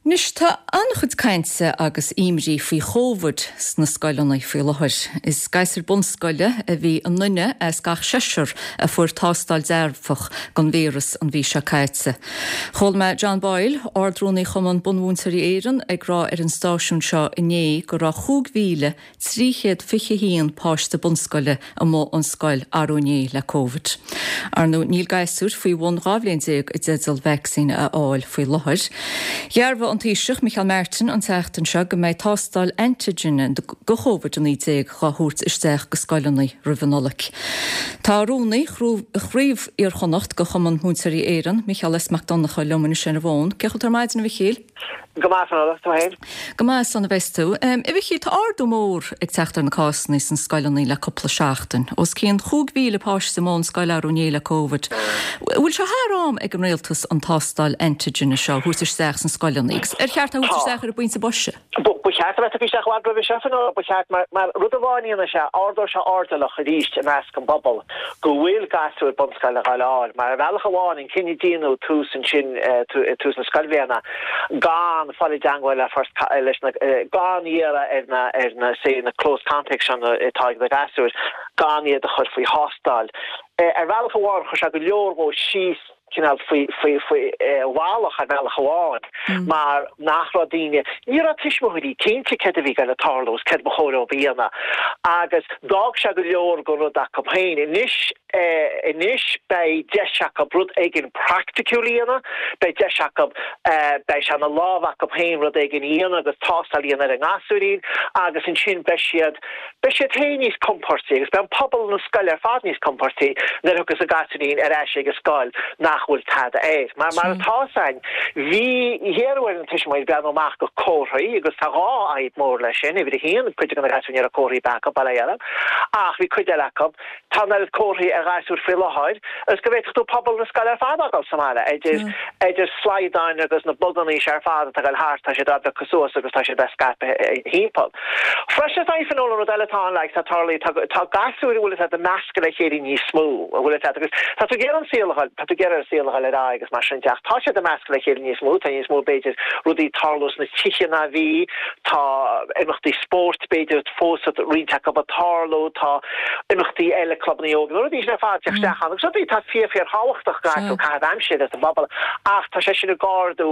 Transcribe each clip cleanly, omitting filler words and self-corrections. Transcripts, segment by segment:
Anois, tá an-chuid cainte agus imní faoi Chóvid sna scoileanna faoi láthair. Is gasúir bunscoile a bhí i nduine as gach seisear a fuair tástáil dearfach don víreas an mhí seo caite. Chuala mé John Boyle, Ard-Rúnaí Chumann Bunmhúinteoirí Éireann, ag rá ar an stáisiún seo inné go raibh 5,000 321 páiste bunscoile amuigh ón scoil arú inné le Covid. Ar ndóigh, níl gasúir faoi bhun 12 bhliain i dteideal vacsaín a fháil faoi láthair. Dhearbhaigh an Taoiseach Micheál Martin an tseachtain seo go mbeidh tástáil antigine do Covid-19 dhá thabhairt isteach go scoileanna roimh an Nollaig. Tá rúnaí Chraobh Iar-Chonnacht de Chumann Múinteoirí Éireann, Micheál S Mac Donncha liom anois ar an bhfón. Cén chaoi a bhfuil tú ar maidin, a Mhichíl? Go maith, Fionnuala, tú féin? Go maith, slán a bheas tú. A Mhichíl, tá ardú mór ag teacht ar na cásanna sna scoileanna le cúpla seachtain. Os cionn 5,000 páiste amuigh ón scoil arú inné le Covid. Bhfuil sé thar am ag an rialtas an tástáil antigine seo a thabhairt isteach sna scoileanna agus ar cheart é a thabhairt isteach ar an bpointe boise? Ba cheart a bheith tugtha isteach i bhfad roimhe seo, Fionnuala, ba cheart, mar rud amháin a dhéanfaidh sé, ardóidh sé airdeallach arís i measc an bpobal go bhfuil gasúir bunscoile ag gabháil a fháil, mar ar bhealach amháin, an cinedhíonú tús ansin tús na scoilbhliana gan fáil i dteangmháil le first leis na gan iarraidh ar na ar na say na close contacts seo atá ag na gasúir gan iad a chur faoi thástáil. Ar bhealach amháin chuir sé go leor dhó síos cineál faoi faoi faoi bhealach ar bhealach amháin mar nach raibh daoine ní raibh tuismitheoirí cinnte céard a bhí ag gabháil a tarlú agus céard ba chóir dóibh a dhéanamh agus d'fhág sé go leor den rud acu féin. Anois Anois beidh deis acu rud éigin praiticiúil a dhéanamh, beidh deis acu, beidh sé ina lámh acu féin rud éigin a dhéanamh agus tástáil a dhéanamh ar an ngasúirín agus ansin beidh siad, beidh siad féin níos compórtaí agus beidh an pobal na scoile ar fad níos compórtaí nuair a thiocfas an gasúirín ar ais ag an scoil nach bhfuil tada air. Mar, mar atá fhios a'inn, bhí iarradh ar na tuismitheoirí breathnú amach go comharthaí agus tá dhá fhadhb mór leis sin, uimhir a haon, cuid de na gasúir ní raibh comharthaí ar bith acu, bail ó Dhia orthu, ach bhí cuid eile acu, Tá an oiread comharthaí ar ghasúir faoi láthair agus go bhféadfadh tú pobal na scoile ar fad a fhágáil sa mbaile, idir idir slaghdáin agus na bugannaí seo ar fad atá ag dul thart, tá siad á bpiocadh suas agus tá siad á scaipeadh thimpeall. Freisin is dóigh Fionnuala, an rud eile atá ann, like, tá tarlaithe, tá tá gasúir a bhfuil fhios a'd ag meascadh le chéile níos mó, a bhfuil fhios a'd, agus tá tú ag iarraidh an saol a dhul, tá tú ag iarraidh an saol a dhul ar aghaidh agus mar sin de ach tá siad ag meascadh le chéile níos mó, tá níos mó b'fhéidir rudaí ag tarlú sna tithe ná bhí, tá imeachtaí spóirt b'fhéidir, fós roinnt acu ag tarlú, tá imeachtaí eile, clubanna óige, na rudaí sin ar fad ag teacht isteach ann agus rudaí atá fíor fíor thábhachtach go gcaithfidh tú caitheamh aimsire sa bpobal ach tá sé sin ag ardú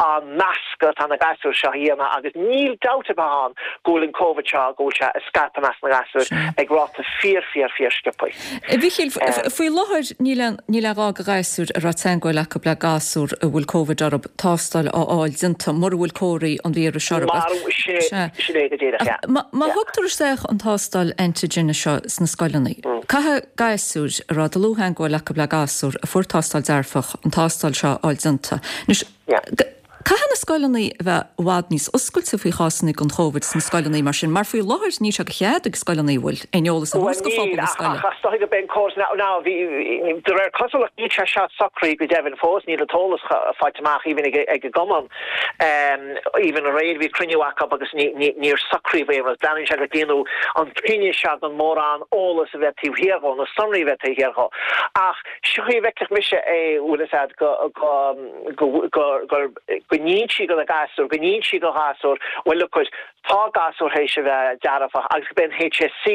an meascadh atá na gasúir seo a dhéanamh agus níl dabht ar bith ann go bhfuil an Covid seo, go bhfuil sé ag scaipeadh i measc na ngasúr ag ráta fíor fíor fíor sciobtha. A Mhichíl, faoi láthair níl aon níl aon ghá do ghasúir a raibh teagmháil acu le gasúr a bhfuil Covid orthu tástáil a fháil déanta mura bhfuil comharthaí an víris orthu. Mar, sin é, sin é go díreach, yeah. Má má thugtar isteach an tástáil antigine seo sna scoileanna, caithfidh gasúir a raibh dlúth-theagmháil acu le gasúr a fuair tástáil dearfach an tástáil seo a fháil déanta. Anois, Caithfidh na scoileanna a bheith i bhfad níos oscailte faoi chásanna den Chóvid sna scoileanna mar sin, mar faoi láthair níl sé de chead ag scoileanna an bhfuil, aon eolas a thabhairt do phobal na scoile. Ach is dóigh go mbeidh an córas now, now bhí, de réir cosúlacht níl sé seo socraithe go deimhin fós, níl an t-eolas faighte amach even ag ag an gcumann, even aréir bhí cruinniú acu agus ní, ní, níor socraíodh aon rud. Breathnaíonn sé gur déanadh an cinneadh seo gan mórán eolas a bheith taobh thiar dhó, na sonraí a bheith taobh thiar dhó. Ach seo chaoi a bhfeicfeadh mise é, bhfuil fhios a'd, go, go, go, go, go n-insí do na gasúir, go n-insí do ghasúir, bhuel look it, tá gasúr théis a bheith dearfach agus go mbeidh an HSC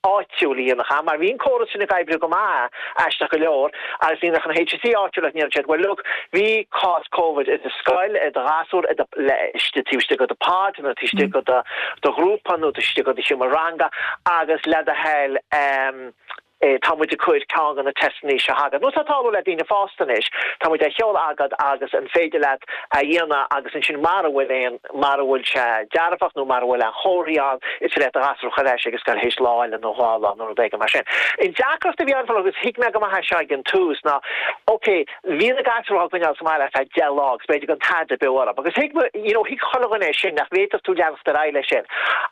áitiúil a dhéanfadh, mar bhí an córas sin ag oibriú go maith, aisteach go leor, agus dhéanfadh an HSC áitiúil ach ndéarfadh siad, bhuel look, bhí cás Covid i do scoil, i do ghasúr, i do, le, istigh, taobh istigh de do pod nó taobh istigh de do, do ghrúpa nó taobh istigh de do sheomra ranga agus le do thoil, ehm, Tá muid ag cur ceann de na teisteanna seo agat, nó tá ag tarlú le daoine fásta anois, tá muid á sheoladh agat agus an féidir leat a dhéanamh agus ansin mara bhfuil aon, mara bhfuil sé dearfach nó mara bhfuil aon chomharthaí ann, is féidir leat do ghasúr a chur ar ais ag an scoil théis lá eile nó dhá lá nó rud éigin mar sin. An deacracht a bhí ann agus thuig mé go maith é seo ag an tús ná, ok, Bhí na gasúir á gcoinneáil sa mbaile ar feadh 10 lá agus b'fhéidir gan tada beo orthu. Agus thuig, you know, thuig chuile dhuine é sin, nach bhféadfadh tú leanacht ar aghaidh leis sin.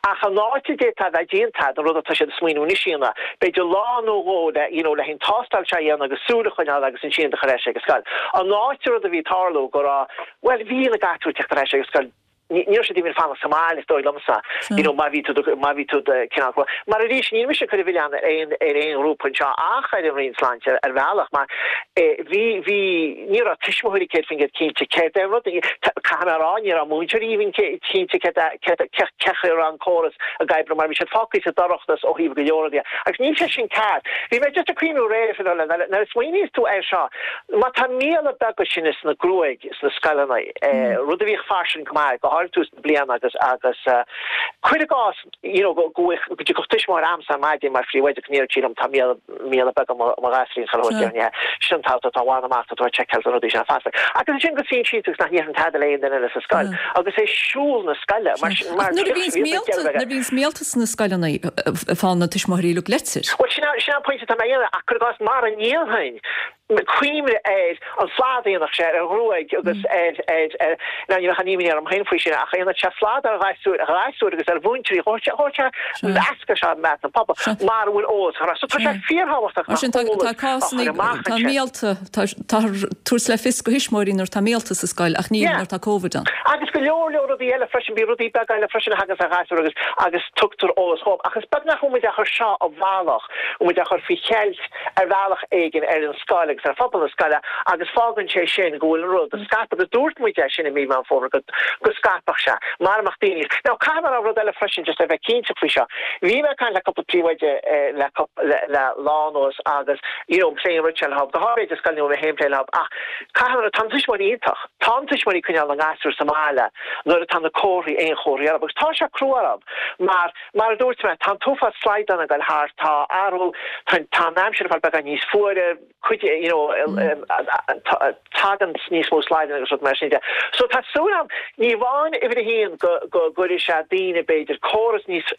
Ach an áit a d'fhéadfá a bheith déanta, an rud atá siad ag smaoineamh anois a dhéanamh, b'fhéidir lá nó dhó le, you know, le an tástáil seo a dhéanamh agus súil a choinneáil agus ansin iad a chur ar ais ag an scoil. An áit a rud a bhí ag tarlú go raibh, bhuel, bhí na gasúir ag teacht ar ais ag an scoil. Ní raibh siad even fanacht sa mbaile is dóigh liomsa, you know, má bhí tú, má bhí tú cineál, mar arís níl mise ag cur an mhilleáin ar aon, ar aon ghrúpa anseo ach ar an Roinn Sláinte ar bhealach mar bhí, bhí, ní raibh tuismitheoirí 100% cinnte céard é an rud, caithfidh mé a rá, ní raibh múinteoirí even cinnte céard é, céard, cé chaoi a raibh an córas ag oibriú mar bhí siad fágtha sa dorchadas ó thaobh go leor rudaí agus níl sé sin ceart. Bhí mé just ag cuimhniú aréir, Fionnuala, nuair a smaoiníos tú air seo, má tá míola beaga sin sna gruaig, sna scoileanna, rud a bhíodh fairsing go maith, go háirithe tús na bliana agus agus cuir i gcás you know go go go dtiocfadh tuismitheoir a'msa ar maidin mar phríomhoide go ndéarfadh sí liom tá míola míola beaga mo mo ghasúirín chuile shórt déarfainn yeah sin an t-am atá bhain amach tá tú ag seiceáil na rudaí sin feasta. Agus ansin go suíonn siad agus nach ndéarfainn tada le aon duine eile sa scoil agus é siúl na scoile mar sin mar Ach nuair a bhíonns míolta nuair a bhíonns míolta sna scoileanna faigheann na tuismitheoirí uilig litir. Bhuel sin sin an pointe atá mé a dhéanamh ach cuir i gcás mara ndéanfainn Cuimhnigh ar an slad a dhéanfadh sé ar an ghruaig agus ar, ar, ar, now ní bheadh aon imní orm féin faoi sin ach a dhéanfadh sé slad ar ghasúir, ghasúir agus ar mhúinteoirí, thabharfadh sé, thabharfadh sé meascadh seo i measc an phobail mara bhfuil eolas á chur. So tá sé fíorthábhachtach Mar sin tá, tá cásanna, tá míolta, tá, tá tabhairt le fios do thuismitheoirí nuair atá míolta sa scoil ach ní nuair atá Covid ann. Agus go leor leor rudaí eile freisin, bíonn rudaí beaga eile freisin a thaganns ar ghasúir agus, agus tugtar eolas dhóibh. Ach is beag nach bhfuil muid á chur seo i bhfalach, bhfuil muid á chur faoi cheilt ar bhealach éigin ar an scoil agus ar phobal na scoile agus fágann sé sin go bhfuil an rud ag scaipeadh agus dúirt muid é sin i mí Meán Fómhair go go scaipfeadh sé mara mbeadh daoine Now caithfidh mé a rá rud eile freisin just le bheith cinnte faoi seo. Bhí mé ag caint le cúpla príomhoide le le le lá anuas agus you know ag plé an rud seo leo, go háirithe scoil a bhfuil mé féin ag plé leo ach caithfidh mé a rá tá na tuismitheoirí iontach. Tá na tuismitheoirí ag coinneáil na ngasúr sa mbaile nuair atá na comharthaí aon chomharthaí orthu agus tá sé crua orthu mar Mar a dúirt mé, tá an t-uafás slaghdán ag dul thart, tá athrú, tá an aimsir ag fáil beagán níos fuaire, cuid, you know, tagann níos mó slaghdán agus rud mar sin de. So tá súil agam, ní amháin uimhir a haon go go gcuirfidh sé daoine b'fhéidir córas níos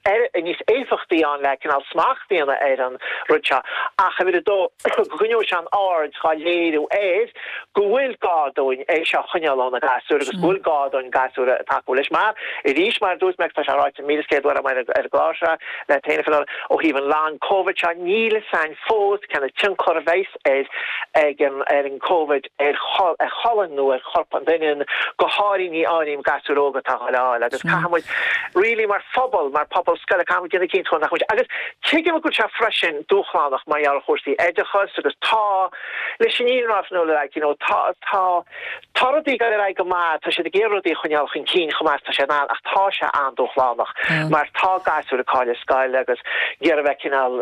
níos éifeachtaí ann le cineál smacht a dhéanamh ar an rud seo ach uimhir a dó go gcoinneoidh sé an aird dhá léiriú air go bhfuil gá dúinn é seo a choinneáil ó na gasúir agus go bhfuil gá dúinn gasúir a tacú leis. Mar, arís, mar a dúirt mé agus tá sé ráite 1,100 uair agam ar an gclár seo le féin a Fionnuala, ó thaobh an long Covid seo, níl fhios a'inn fós cén tionchar a bheas ar ag an ar an Covid ar ar cholainn nó ar chorp an duine, go háirithe ní áirím gasúir óga atá á fháil agus caithfidh muid really mar phobal, mar phobal scoile, caithfidh muid déanamh cinnte go nach muid agus tuigim go bhfuil sé freisin dúshlánach mar gheall ar chúrsaí oideachais agus tá Leis an fhírinne a rá Fionnuala like you know tá tá tá rudaí ag dul ar aghaidh go maith, tá siad ag iarraidh rudaí a choinneáil chun cinn chomh maith is tá sé in ann ach tá sé an-dúshlánach mar tá gasúir ag cailleadh scoile agus ag iarraidh bheith cineál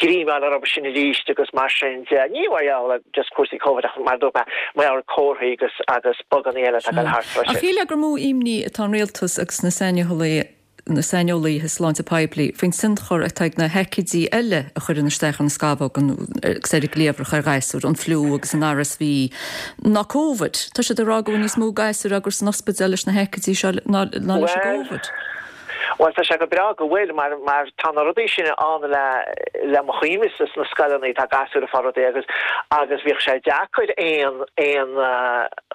greim a fháil orthu sin arís agus mar sin de. Ní mar gheall ar just cúrsaí Covid ach mar a dúirt mé mar gheall ar comharthaí agus agus buganna eile atá ag dul thart freisin. Ach shílfeá gur mó imní atá an rialtas agus na saineolaithe na saineolaithe sláinte poiblí faoin tionchar atá ag na haicídí eile a chuireann isteach ar na scamhóga agus ar an gcliabhrach ar ghasúir, an fliú agus an RSV, ná Covid. Tá siad ag rá go bhfuil níos mó gasúir á gcur san ospidéal leis na haicídí seo ná leis an gCovid. Bhuel, tá sé go breá go bhfuil, mar mar tá na rudaí sin ann le le mo chuimhnese sna scoileanna, tá gasúir ag fáil rudaí agus agus bhíodh sé deacair aon aon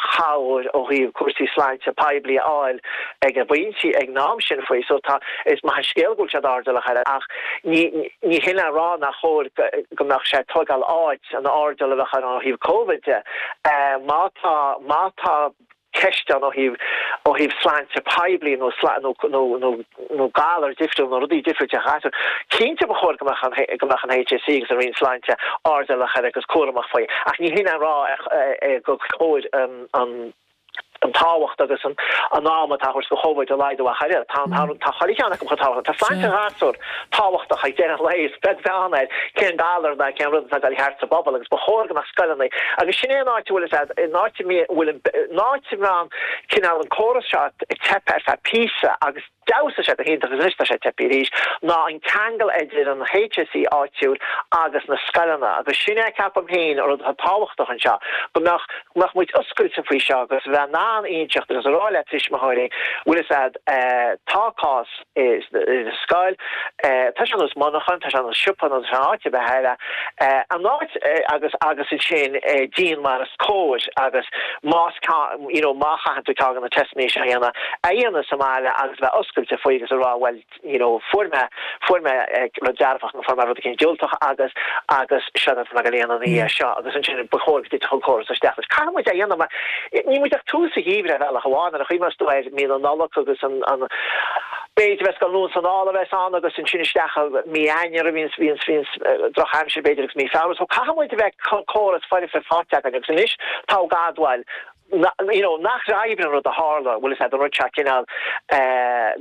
chabhair ó thaobh cúrsaí sláinte poiblí a fháil ag an bpointe, ag an am sin faoi. So tá, is maith an scéal go bhfuil siad airdeallach air ach ní, ní hin le rá nach chóir go mbeadh sé ag tógáil áit an airdeall a bheadh ann ó thaobh Covid de. Má tá, má tá ceist ann ó thaobh, ó thaobh sláinte poiblí nó, nó, nó, nó, nó galar difriúil nó rudaí difriúil de ghasúir, cinnte ba chóir go mbeadh an, go mbeadh an HSE agus an Roinn Sláinte airdeallach air agus cúramach faoi. Ach ní hin le rá gur chóir an, an, an tábhacht agus an am atá á thabhairt do Chóvid a laghdú ach oiread. Tá tá chuile cheann acu chomh tábhachtach. Tá sláinte ghasúr tábhachtach ag deireadh an lae, is beag beann ar cén galar ná cén rud atá ag dul thart sa bpobal agus ba chóir go mbeadh scoileanna agus sin é an áit a bhfuil a fhios an áit a bhfuil an áit a mbíonn cineál an córas seo ag teip ar feadh píosa agus d'fheabhsaigh sé go hiontach agus anois tá sé ag teip arís, ná an ceangal idir an HSE áitiúil agus na scoileanna agus sin é ceapaim féin an rud atá tábhachtach anseo, go mbeadh, go mbeadh muid oscailte faoi seo agus bheith in ann inseacht agus a rá le tuismitheoirí, bhfuil fhios a'd, tá cás i scoil, tá sé ar nós monarchan, tá sé ar nós siopa nó tá sé in áit ar bith eile, an áit agus agus ansin déan mar is cóir agus más you know má chaitheann tú ceann de na teisteanna seo a dhéanamh, a dhéanamh sa mbaile agus bheith oscailte. oscailte faoi agus a rá bhuel you know fuair mé, fuair mé rud dearfach nó fuair mé rud eicínt diúltach agus, agus seo atá mé ag dul a dhéanamh ina dhiaidh seo agus ansin ba chóir go dtitfeadh an córas isteach leis. Caithfidh muid é a dhéanamh mar níl muid ach tús an gheimhridh ar bhealach amháin ar an chaoi más tú ar mí na Nollag agus an, an, b'fhéidir bheas scoil anonn 's anall a bheas ann agus ansin isteach i mí Eanáir a bhíonns, bhíonns, bhíonns drochaimsir b'fhéidir agus mí Feabhra so caithfidh muid a bheith córas foirfe faighte againn agus anois tá ag admháil you know nach oibríonn an rud a tharla, bhfuil fhios a'd, an rud seo cineál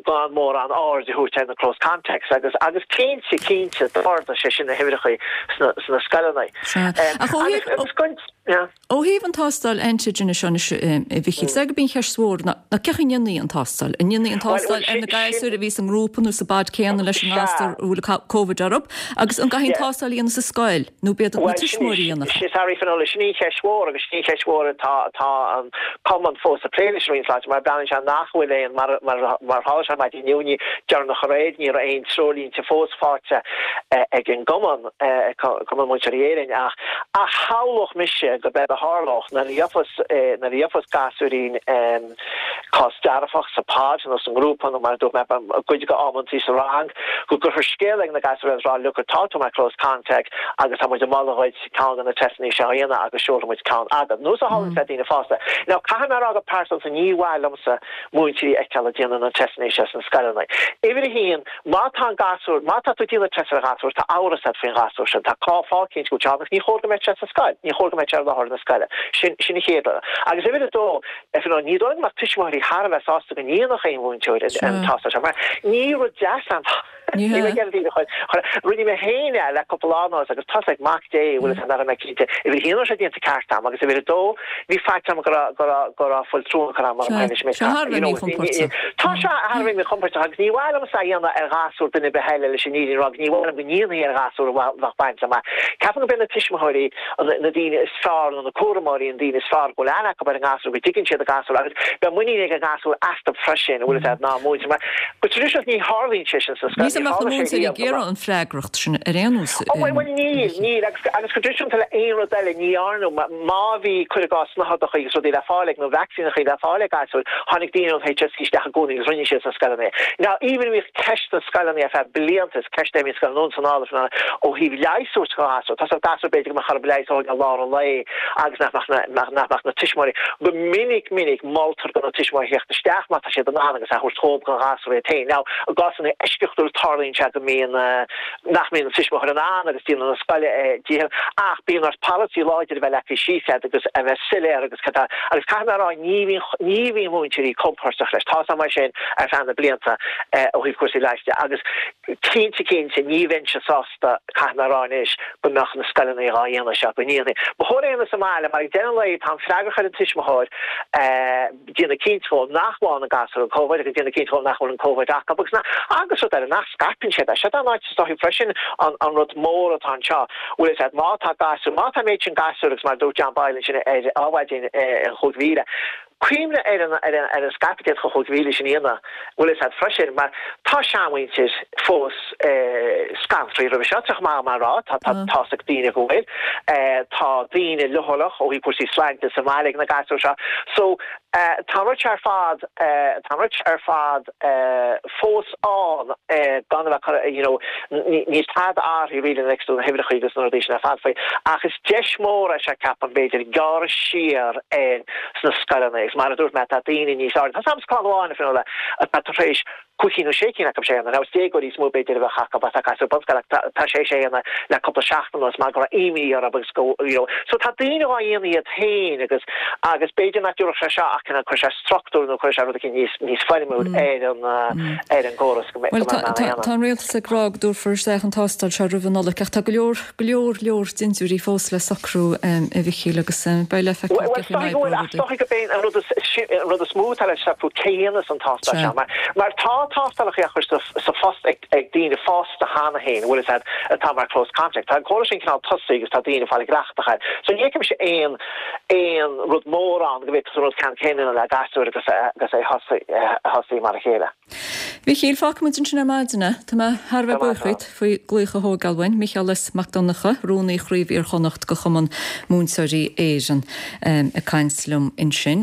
gan mórán aird a thabhairt ar na close contacts agus agus cinnte, cinnte d'ardaigh sé sin na huimhreacha sna, sna scoileanna. Sea. Ach ó thaobh, Agus go, yeah. Ó thaobh an tástáil antigen seo anois, a Mhichíl, is é gurb í an cheist mhór ná cén chaoi a ndéanfaí an tástáil? An ndéanfaí an tástáil ar na gasúir a bhí sa ngrúpa nó sa bpod céanna leis an ngasúr a bhfuil Covid orthu? Agus an gcaithfí an tástáil a dhéanamh sa scoil? Nó b'iad na tuismitheoirí a dhéanfadh é? Sorry Finola, sin í an cheist mhór agus sin í an cheist mhór atá atá an Cumann fós ag plé leis an Roinn Sláinte mar breathnaíonn sé nach bhfuil aon, mar mar tharla sé maidin inniu ní deireanach aréir ní raibh aon treoirlínte fós faighte ag an gCumann, Cumann Múinteoirí Éireann ach ach shamhlódh mise go b'éard a tharlódh nuair a gheofas nuair a gheofas gasúirín cás dearfach sa pod nó sa ngrúpa nó mar a dúirt mé cuid acu amantaí sa rang, go gcuirfear scéala ag na gasúir agus rá look tá tú mar close contact agus tá muid ag moladh dhuit ceann de na teisteanna seo a dhéanamh agus seolfaidh muid ceann agat. Nós a tharlaíonn le daoine fásta. Now caithfidh mé a rá go pearsanta ní mhaith liomsa múinteoirí a fheiceáil ag déanamh na teisteanna seo sna scoileanna. Uimhir a haon, má tá an gasúr, má tá tú ag déanamh test ar ghasúr, tá amhras agat faoin ghasúr sin, tá fáth eicínt go bhfuil sé ann agus ní chóir go mbeadh sé sa scoil, ní chóir go mbeadh sé ar láthair na scoile. Sin, sin an chéad rud. Agus uimhir a dó, Finola, ní dóigh liom go mbeadh tuismitheoirí thar a bheith sásta go ndéanfadh aon mhúinteoir an tástáil seo mar ní rud deas an Ní hea. Rinne mé féin é le cúpla lá anuas agus tá's ag Mac Dé bhfuil fhios a'd nach raibh mé cinnte uimhir a haon raibh sé déanta ceart a'm agus uimhir a dó bhí faitíos orm go raibh go raibh go raibh fuil trua curtha a'm orm féin is mé Tá thar a bheith míchompordach. Tá sé thar a bheith míchompordach agus ní mhaith liomsa é a dhéanamh ar ghasúr duine ar bith eile leis an fhírinne a rá agus ní mhaith liom go ndéanfaí ar ghasúr a bheadh baint liom mar ceapaim go b'iad na tuismitheoirí na daoine is fearr nó na cúramóirí an daoine is fearr go bhfuil aithne acu ar an ngasúr, go dtuigeann siad an gasúr agus beidh muinín ag an ngasúr astu freisin, an bhfuil fhios a'd, ná múinteoir. Mar go traidisiúnta ní tharlaíonn sé sin sa scoil, Ní ní mbeadh na tharla sé múinteoirí riamh ag go mbeadh. iarraidh an freagracht sin ar aon nós. Ó bhuel, bhuel níl, níl agus, agus go traidisiúnta le aon rud eile ní dhearnadh, má bhí, cuir i gcás, snáthaidreacha agus rudaí le fáil ag, nó vacsaíneacha le fáil ag gasúir, tháinig daoine ón HSE isteach i gcónaí agus rinne siad sna scoileanna é. Now even bhíodh ceist sna scoileanna ar feadh blianta, is ceist é a bhíonn scoil anonn 's anall ó thaobh leighis a thabhairt do ghasúr. Tá gasúr b'fhéidir go mbeadh orthu leigheas a thógáil i lár an lae agus nach mbeadh nach mbeadh na tuismitheoirí. Go minic minic moltar do na tuismitheoirí theacht isteach má tá siad in ann agus é a thabhairt dhóibh don ghasúr iad féin. Now i gcásanna eisceachtúil tarlaíonn sé go mbíonn nach mbíonn an tuismitheoir in ann agus déanann an scoil a dícheall ach bíonn ort polasaí láidir a bheith leagtha síos agat agus a bheith soiléir agus cad tá agus caithfidh mé a rá ní bhíonn ní bhíonn múinteoirí compordach leis. Tá a fhios agam é sin ar feadh na blianta ó thaobh cúrsaí leighis de agus cinnte cinnte ní bheinnse sásta caithfidh mé a rá anois go mbeadh na scoileanna dhá dhéanamh seo go ndéanfaí. Ba chóir é a dhéanamh sa mbaile mar ag deireadh an lae tá an freagracht ar an tuismitheoir déanamh cinnte dhó nach bhfaigheann an gasúr an Covid agus déanamh cinnte dhó nach bhfuil an Covid acu agus nach agus rud eile nach scaipeann siad é. Seo an áit is dóichí freisin an an rud mór atá anseo bhfuil fhios a'd má tá gasúr má tá an méid sin gasúr agus mar a dúirt John Boyle ansin ar Adhmhaidin an chúig mhíle Cuimhnigh ar an ar an ar an scaipeadh a d'fhéadfadh an 5,000 sin a dhéanamh, bhfuil fhios a'd freisin, mar tá seanmhuintir fós scanraithe roimhe seo, tá maith mar rá, tá tá tá's ag daoine go bhfuil, tá daoine leochaileach ó thaobh cúrsaí sláinte sa mbaile ag na gasúir seo. So tá an rud seo ar fad, tá an rud seo ar fad fós ann gan a bheith curtha, you know, níl tada athraithe really next to na huimhreacha agus na rudaí sin ar fad faoi. Ach is deis mór é seo ceapaim b'fhéidir gearradh siar ar sna scoileanna agus mar a dúirt mé tá daoine níos airde. Tá sam scoil amháin a Finola atá tar éis cúig cinn nó sé cinn acu sé dhéanamh. Now is déagóirí is mó b'fhéidir a bheadh acu atá gasúir bunscoile ach tá sé sé dhéanamh le cúpla seachtain anuas mar go raibh imní orthu agus go you know. So tá daoine dhá dhéanamh iad féin agus agus b'fhéidir nach dtabharfadh sé seo ach cineál cuirfidh sé struchtúr nó cuirfidh sé rud eicínt níos níos foirmiúil ar an ar an gcóras go mbeidh Bhuel go mbeidh in ann a dhéanamh. tá an rialtas ag rá go dtabharfar isteach an tástáil seo roimh an Nollaig ach tá go leor go leor leor dintiúirí fós le socrú, a Mhichíl, agus beidh le feiceáil Bhuel, cén chaoi a is dóigh go bhfuil, n-oibreoidh ach is rudaí. dóigh gurb é an rud is, an rud is mó atá le socrú cé a dhéanas an tástáil Sea. seo, mar, mar tá tástálacha á chur sa, sa phost ag, ag daoine fásta cheana féin, bhfuil fhios a'd, atá mar close contact. Tá an córas sin cineál tosaithe agus tá daoine ag fáil cleachtadh air. So ní fheicimse aon, aon rud mór ann go bhféadfadh an rud ceann céanna a dhéanamh le gasúir agus, agus é a thosaí mar a chéile. Mhichíl, fágfaidh muid ansin ar maidin é. Tá mé thar a bheith buíoch dhíot faoi glaoch a thógáil uainn. Micheál S. Mac Donncha, Rúnaí Chraobh Iar-Chonnacht de Chumann Múinteoirí Éireann, ag caint liom ansin.